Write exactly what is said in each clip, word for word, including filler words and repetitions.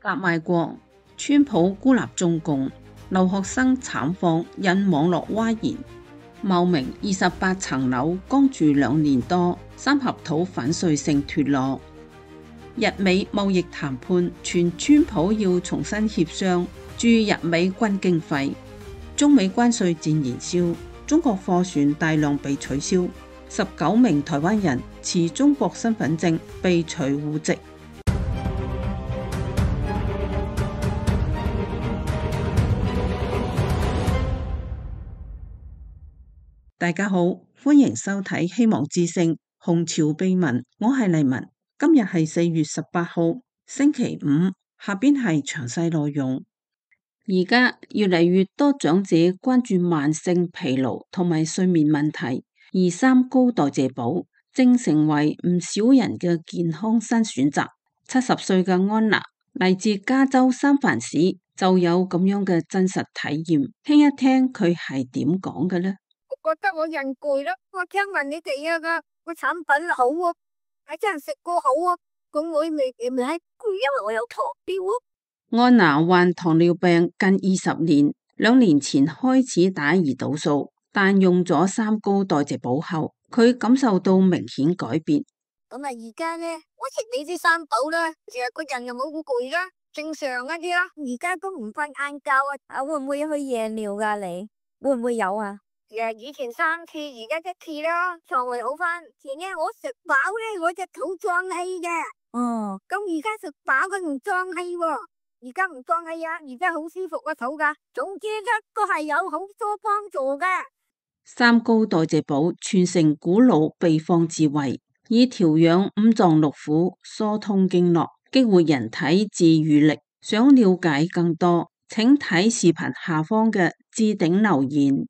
革賣國，川普孤立中共，留學生慘況引網絡譁然。茂名二十八層樓剛住兩年多，三合土反碎性脫落。日美貿易談判傳川普要重新協商駐日美軍經費。中美關稅戰燃燒，中國貨船大量被取消，十九名台灣人持中國身份證被除戶籍。大家好，歡迎收睇《希望之聲·紅潮秘聞》，我係麗文。今日係四月十八號，星期五。下邊係詳細內容。而家越嚟越多長者關注慢性疲勞同埋睡眠問題，而三高代謝寶正成為唔少人嘅健康新選擇。七十歲嘅安娜嚟自加州三藩市，就有咁樣嘅真實體驗。聽一聽佢係點講嘅呢？覺得我人攰咯，我聽聞你哋啊個個產品好啊，係真係食過好啊，咁我未未係攰，因為我有糖尿啊。安娜患糖尿病近二十年，兩年前開始打胰島素，但用咗三高代謝寶後，佢感受到明顯改變。咁啊，而家咧，我食你啲三寶啦，成日個人又冇咁攰啦，正常一啲啦。而家都唔瞓晏覺啊，啊會唔會去夜尿噶？你會唔會有啊？誒，以前三次，而家一次啦，腸胃好翻。前日我食飽咧，我隻肚脹氣嘅。哦，咁而家食飽佢唔脹氣喎，而家唔脹氣啊，而家好舒服個肚噶。總之咧，都係有好多幫助嘅。三高代謝寶傳承古老秘方智慧，以調養五臟六腑、疏通經絡、激活人體自癒力。想了解更多，請睇視頻下方嘅置頂留言。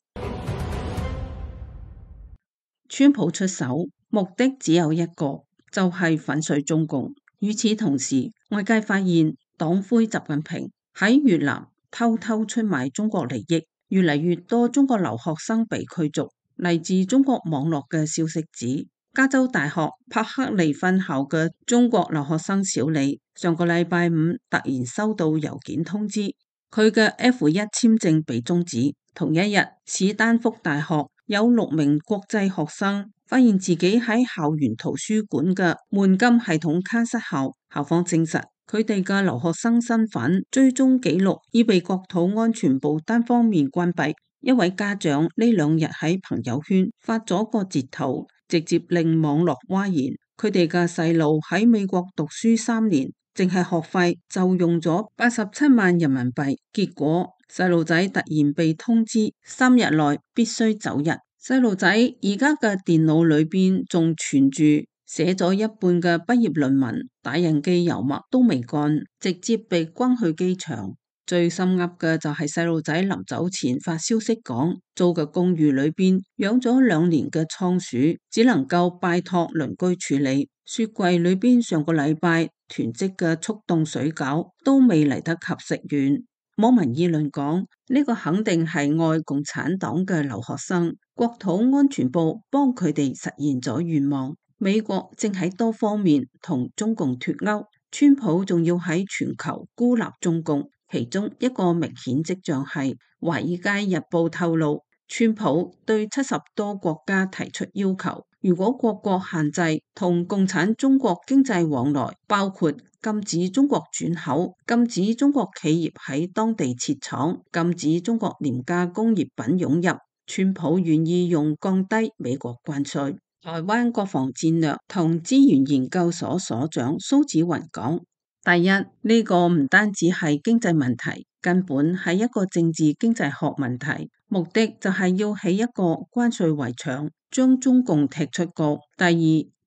川普出手，目的只有一個，就係粉碎中共。與此同時，外界發現黨魁習近平喺越南偷偷出賣中國利益，越嚟越多中國留學生被驅逐。嚟自中國網絡嘅消息指，加州大學柏克利分校嘅中國留學生小李，上個禮拜五突然收到郵件通知，佢嘅 F 一 簽證被終止。同一日，史丹福大學有六名國際學生發現自己喺校園圖書館嘅門禁系統卡失效，校方證實佢哋嘅留學生身份追蹤記錄已被國土安全部單方面關閉。一位家長呢兩日喺朋友圈發咗個截圖，直接令網絡譁然。佢哋嘅細路喺美國讀書三年，淨係學費就用咗八十七萬人民幣，結果細路仔突然被通知三日內必須走人。細路仔而家嘅電腦裏邊仲存住寫咗一半嘅畢業論文，打印機油墨都未乾，直接被關去機場。最心噏嘅就係細路仔臨走前發消息講，租嘅公寓裏邊養咗兩年嘅倉鼠，只能夠拜託鄰居處理。雪櫃裏邊上個禮拜囤積嘅速凍水餃都未嚟得及食完。網民議論講，呢個肯定係愛共產黨嘅留學生，國土安全部幫佢哋實現咗願望。美國正喺多方面同中共脫鈎，川普仲要喺全球孤立中共。其中一個明顯跡象係《華爾街日報》透露，川普對七十多國家提出要求，如果各國限制同共產中國經濟往來，包括禁止中國轉口、禁止中國企業喺當地設廠、禁止中國廉價工業品湧入，川普願意用降低美國關稅。台灣國防戰略同資源研究所所長蘇紫雲講，第一，呢個唔單止係經濟問題，根本係一個政治經濟學問題，目的就係要起一個關稅圍牆，將中共踢出局。第二，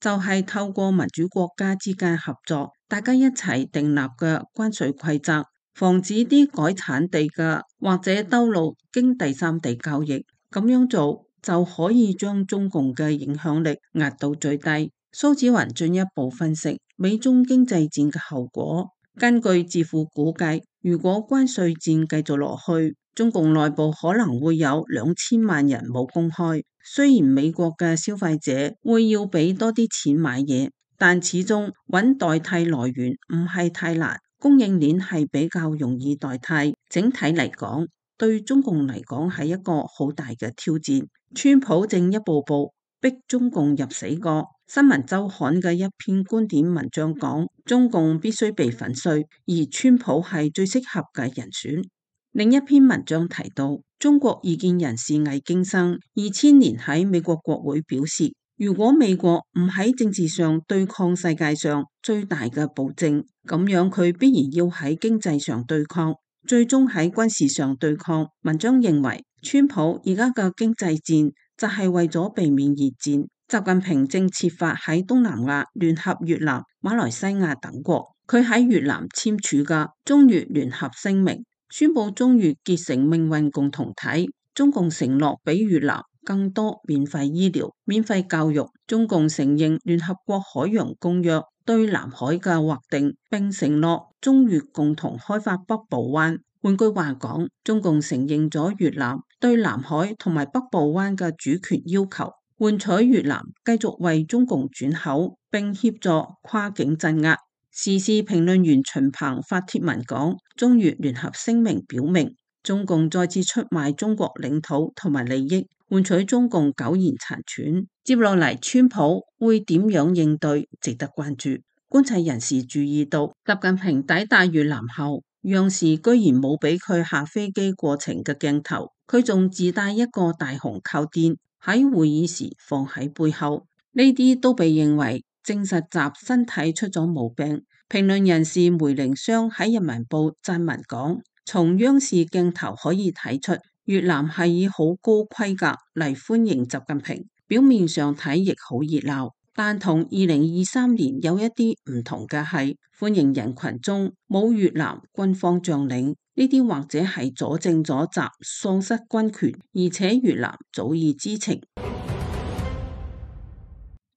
就係透過民主國家之間合作，大家一齊訂立嘅關稅規則，防止啲改產地嘅或者兜路經第三地交易，咁樣做就可以將中共嘅影響力壓到最低。蘇紫雲進一步分析美中經濟戰嘅後果。根據智庫估計，如果關稅戰繼續落去，中共內部可能會有兩千萬人冇工開。雖然美國嘅消費者會要俾多啲錢買嘢，但始終揾代替來源唔係太難。供應鏈係比較容易代替。整體嚟講，對中共嚟講係一個好大嘅挑戰。川普正一步步逼中共入死角。新聞週刊嘅一篇觀點文章講，中共必須被粉碎，而川普係最適合嘅人選。另一篇文章提到，中國異見人士魏京生二千年喺美國國會表示，如果美國唔喺政治上對抗世界上最大嘅暴政，咁樣佢必然要喺經濟上對抗，最終喺軍事上對抗。文章認為，川普而家嘅經濟戰就係為咗避免熱戰。習近平正設法喺東南亞聯合越南、馬來西亞等國。佢喺越南簽署嘅中越聯合聲明，宣布中越結成命運共同體。中共承諾俾越南更多免費醫療、免費教育。中共承認聯合國海洋公約對南海嘅劃定，並承諾中越共同開發北部灣。換句話講，中共承認咗越南對南海同埋北部灣嘅主權要求，換取越南繼續為中共轉口，並協助跨境鎮壓。時事評論員秦鵬發帖文講，中越聯合聲明表明，中共再次出賣中國領土同埋利益，換取中共苟延殘喘。接落嚟，川普會點樣應對，值得關注。觀察人士注意到，習近平抵達越南後，央視居然冇俾佢下飛機過程嘅鏡頭，佢仲自帶一個大紅靠墊喺會議時放喺背後，呢啲都被認為證實習身體出咗毛病。評論人士梅玲湘喺人民報撰文講，從央視鏡頭可以睇出，越南係以好高規格嚟歡迎習近平，表面上睇亦好熱鬧，但同二零二三年有一啲唔同嘅係，歡迎人群中冇越南軍方將領。呢啲或者係佐證咗習喪失軍權，而且越南早已知情。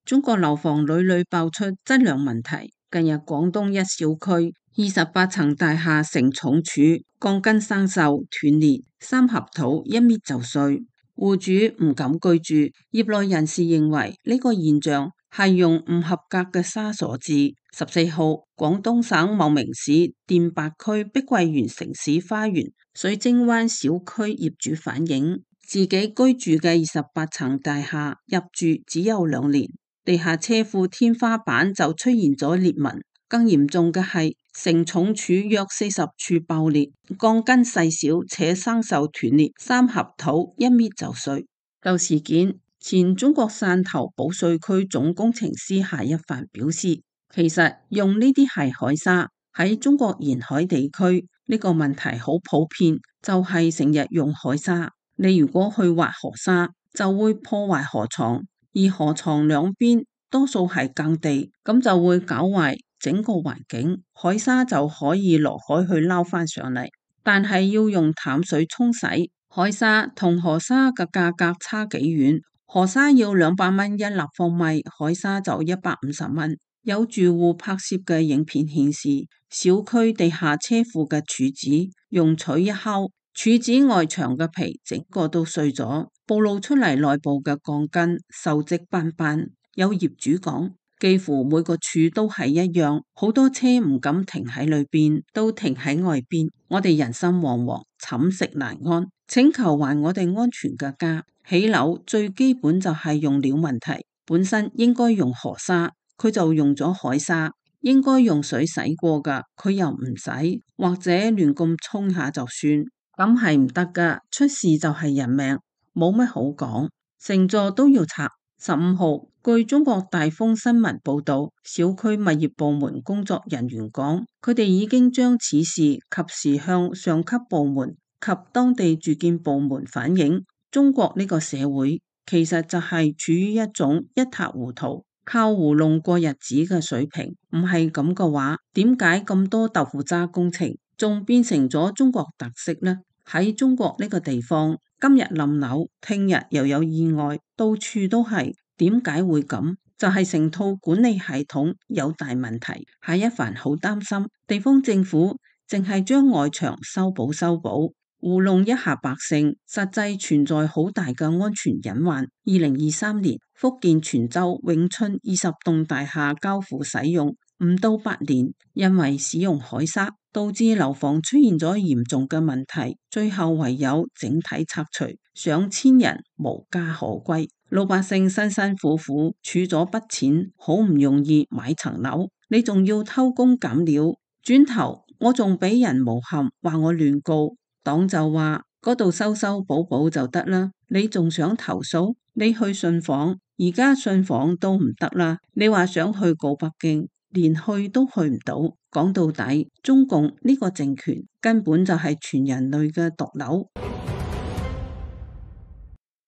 中國樓房屢屢爆出質量問題，近日廣東一小區二十八層大廈承重柱鋼筋生鏽斷裂，三合土一搣就碎，戶主唔敢居住。業內人士認為呢個現象係用唔合格嘅沙所致。十四號，廣東省茂名市甸白區碧桂園城市花園水晶灣小區業主反映，自己居住嘅二十八層大廈入住只有兩年，地下車庫天花板就出現咗裂紋，更嚴重嘅係承重柱約四十處爆裂，鋼筋細小且生鏽斷裂，三合土一搣就碎。就事件，前中國汕頭保稅區總工程師夏一帆表示，其實用呢啲係海沙，喺中國沿海地區呢個問題好普遍，就係成日用海沙。你如果去挖河沙，就會破壞河床，而河床兩邊多數係耕地，咁就會搞壞整個環境，海沙就可以落海去撈翻上嚟。但係要用淡水沖洗，海沙同河沙嘅價格差幾遠，河沙要兩百蚊一立方米，海沙就一百五十蚊。有住戶拍攝嘅影片顯示，小區地下車庫嘅柱子用錘一敲，柱子外牆嘅皮整個都碎咗，暴露出嚟內部嘅鋼筋鏽跡斑斑。有業主講，幾乎每個柱都係一樣，好多車唔敢停喺裏邊，都停喺外邊。我哋人心惶惶，寢食難安，請求還我哋安全嘅家。起樓最基本就係用料問題，本身應該用河沙，佢就用咗海沙，應該用水洗過噶，佢又唔洗，或者亂咁沖下就算，咁係唔得噶。出事就係人命，冇乜好講，成座都要拆。十五號，據中國大風新聞報道，小區物業部門工作人員講，佢哋已經將此事及時向上級部門及當地住建部門反映。中國呢個社會其實就係處於一種一塌糊塗，靠糊弄過日子嘅水平。唔係咁嘅話，點解咁多豆腐渣工程仲變成咗中國特色呢？喺中國呢個地方，今日冧樓，聽日又有意外，到處都係。點解會咁？就係成套管理系統有大問題。夏一帆好擔心地方政府淨係將外牆修補修補，糊弄一下百姓，實際存在好大嘅安全隱患。二零二三年，福建泉州永春二十棟大廈交付使用，唔到八年，因為使用海沙，導致樓房出現咗嚴重嘅問題，最後唯有整體拆除，上千人無家可歸，老百姓辛辛苦苦儲咗筆錢，好唔容易買層樓，你仲要偷工減料，轉頭我仲俾人誣陷，話我亂告，黨就話嗰度修修補補就得啦，你仲想投訴？你去信訪，而家信訪都唔得啦，你話想去告北京，連去都去唔到。講到底，中共呢個政權根本就係全人類嘅毒瘤。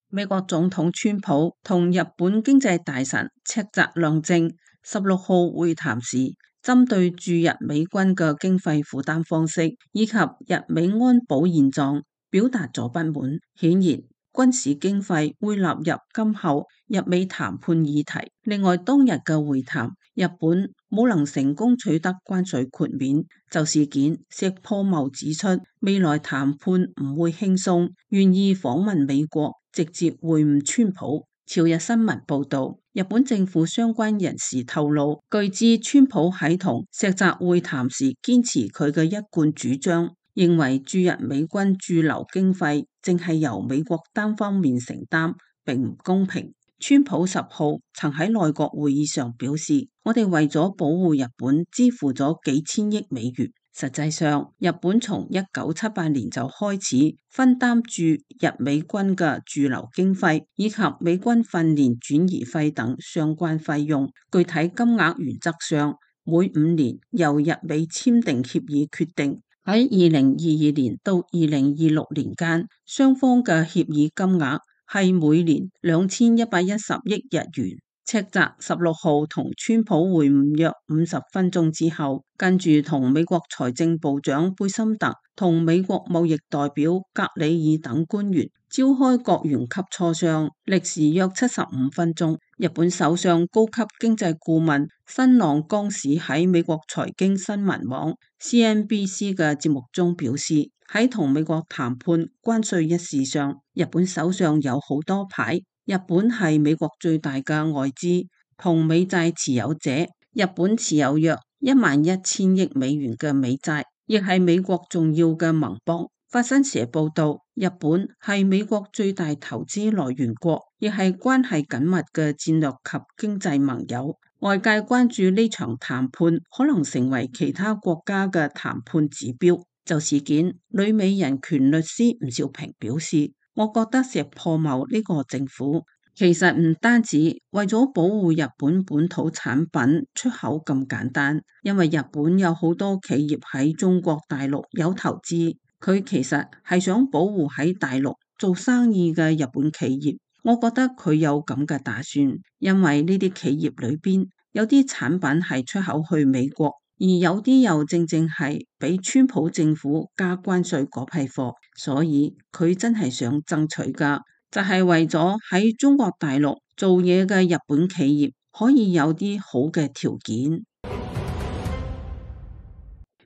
美國總統川普同日本經濟大臣赤澤亮正十六號會談時，針對駐日美軍嘅經費負擔方式以及日美安保現狀，表達咗不滿。顯然，軍事經費會納入今後日美談判議題。另外，當日嘅會談，日本冇能成功取得關稅豁免，就事件石破茂指出，未來談判唔會輕鬆，願意訪問美國，直接會晤川普。朝日新聞報道，日本政府相關人士透露，據知川普喺同石澤會談時堅持佢嘅一貫主張，認為駐日美軍駐留經費淨係由美國單方面承擔，並唔公平。川普十號曾喺內閣會議上表示，我哋為咗保護日本支付咗幾千億美元。實際上，日本從一九七八年就開始分擔駐日美軍嘅駐留經費以及美軍訓練轉移費等相關費用，具體金額原則上每五年由日美簽訂協議決定。喺二零二二年到二零二六年間，雙方嘅協議金額係每年兩千一百一十億日元。赤澤十六號同川普會晤約五十分鐘之後，跟住同美國財政部長貝森特同美國貿易代表格里爾等官員召開國員級磋商，歷時約七十五分鐘。日本首相高級經濟顧問新浪江史喺美國財經新聞網 C N B C 嘅節目中表示，喺同美國談判關稅一事上，日本手上有好多牌。日本係美國最大嘅外資同美債持有者，日本持有約一萬一千億美元嘅美債，亦係美國重要嘅盟邦。法新社報道，日本係美國最大投資來源國，亦係關係緊密嘅戰略及經濟盟友。外界關注呢場談判可能成為其他國家嘅談判指標。就事件，旅美人權律師吳兆平表示，我覺得石破茂呢個政府其實唔單止為咗保護日本本土產品出口咁簡單，因為日本有好多企業喺中國大陸有投資，佢其實係想保護喺大陸做生意嘅日本企業。我覺得佢有咁嘅打算，因為呢啲企業裏邊有啲產品係出口去美國，而有啲又正正係俾川普政府加關稅嗰批貨，所以佢真係想爭取噶，就係為咗喺中國大陸做嘢嘅日本企業可以有啲好嘅條件。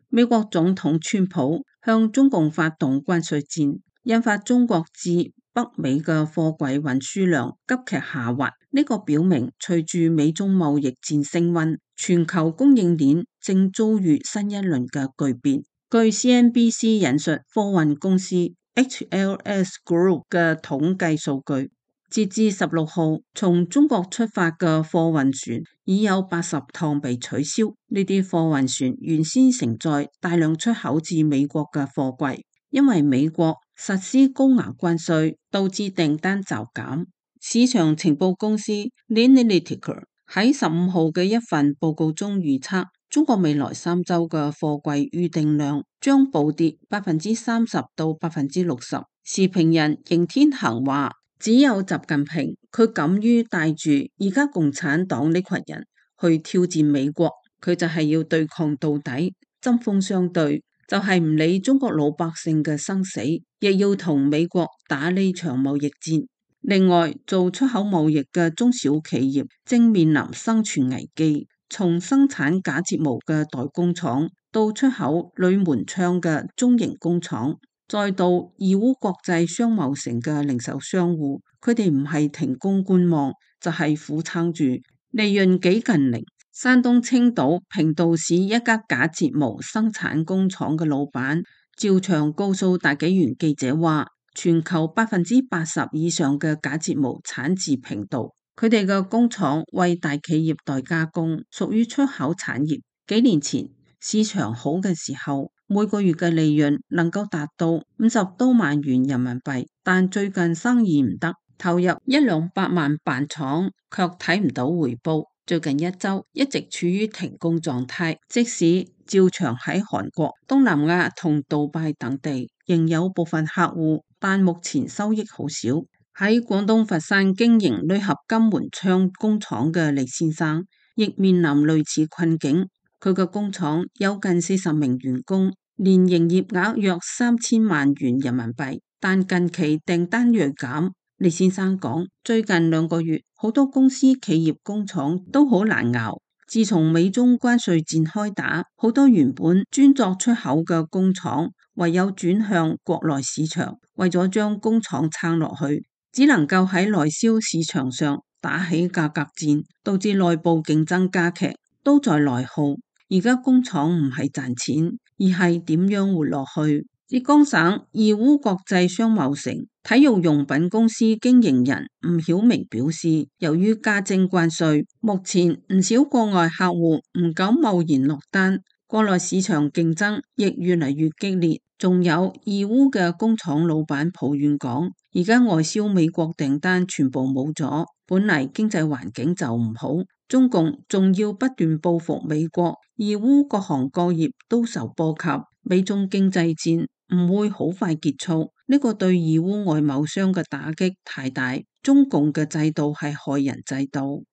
美國總統川普向中共發動關稅戰，引發中國至北美嘅貨櫃運輸量急劇下滑。呢個表明隨住美中貿易戰升溫，全球供應鏈正遭遇新一輪嘅巨變。據 C N B C 引述貨運公司 H L S Group 嘅統計數據，截至十六號，從中國出發嘅貨運船已有八十趟被取消。呢啲貨運船原先承載大量出口至美國嘅貨櫃，因為美國實施高額關稅，導致訂單驟減。市場情報公司 Linealitica 喺十五號嘅一份報告中預測，中國未來三周嘅貨櫃預訂量將暴跌百分之三十到百分之六十。時評人邢天行話，只有習近平佢敢於帶住而家共產黨呢群人去挑戰美國，佢就係要對抗到底，針鋒相對，就係唔理中國老百姓嘅生死，亦要同美國打呢場貿易戰。另外，做出口貿易嘅中小企業正面臨生存危機，從生產假睫毛嘅代工廠到出口鋁門窗嘅中型工廠，再到義烏國際商貿城嘅零售商戶，佢哋唔係停工觀望，就係苦撐住，利潤幾近零。山東青島平度市一家假睫毛生產工廠嘅老闆趙翔告訴大紀元記者話，全球百分之八十以上嘅假睫毛產自平度，佢哋嘅工廠為大企業代加工，屬於出口產業。幾年前市場好嘅時候，每個月嘅利潤能夠達到五十多萬元人民幣，但最近生意唔得，投入一兩百萬辦廠，卻睇唔到回報。最近一周一直處於停工狀態，即使趙翔喺韓國、東南亞同杜拜等地仍有部分客戶，但目前收益好少。喺廣東佛山經營鋁合金門窗工廠嘅李先生，亦面臨類似困境。佢嘅工廠有近四十名員工，年營業額約三千萬元人民幣，但近期訂單銳減。李先生講，最近兩個月，好多公司企業工廠都好難熬。自從美中關稅戰開打，好多原本專作出口嘅工廠唯有轉向國內市場，為咗將工廠撐落去，只能夠喺內銷市場上打起價格戰，導致內部競爭加劇，都在內耗。而家工廠唔係賺錢，而係點樣活落去。浙江省義烏國際商貿城體育用品公司經營人吳曉明表示，由於加徵關稅，目前唔少國外客戶唔敢貿然落單，國內市場競爭亦越嚟越激烈。仲有義烏嘅工廠老闆抱怨講，而家外銷美國訂單全部冇咗，本嚟經濟環境就唔好，中共仲要不斷報復美國，義烏各行各業都受波及，美中經濟戰唔會好快結束，呢個對義烏外貿商嘅打擊太大。中共嘅制度係害人制度。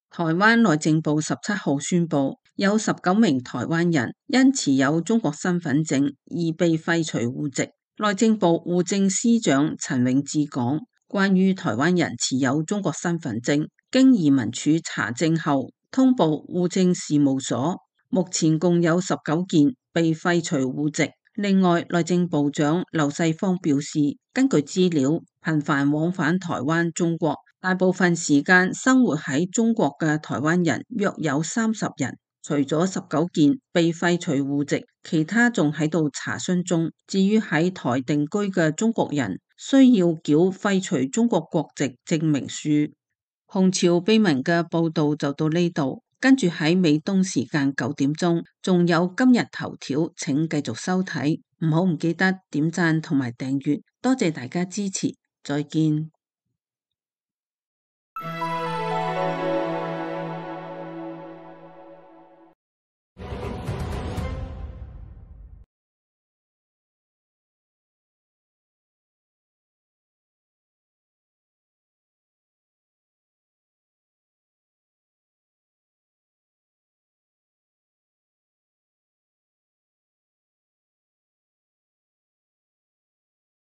台灣內政部十七號宣布，有十九名台灣人因持有中國身份證而被廢除戶籍。內政部戶政司長陳永志講，關於台灣人持有中國身份證，經移民署查證後通報戶政事務所，目前共有十九件被廢除戶籍。另外，內政部長劉世芳表示，根據資料，頻繁往返台灣、中國，大部分時間生活喺中國嘅台灣人約有三十人。除咗十九件被廢除戶籍，其他仲喺度查詢中。至於喺台定居嘅中國人，需要繳廢除中國國籍證明書。紅潮秘聞嘅報道就到呢度，跟住喺美東時間九點鐘，仲有今日頭條，請繼續收睇，唔好唔記得點讚同埋訂閱，多謝大家支持，再見。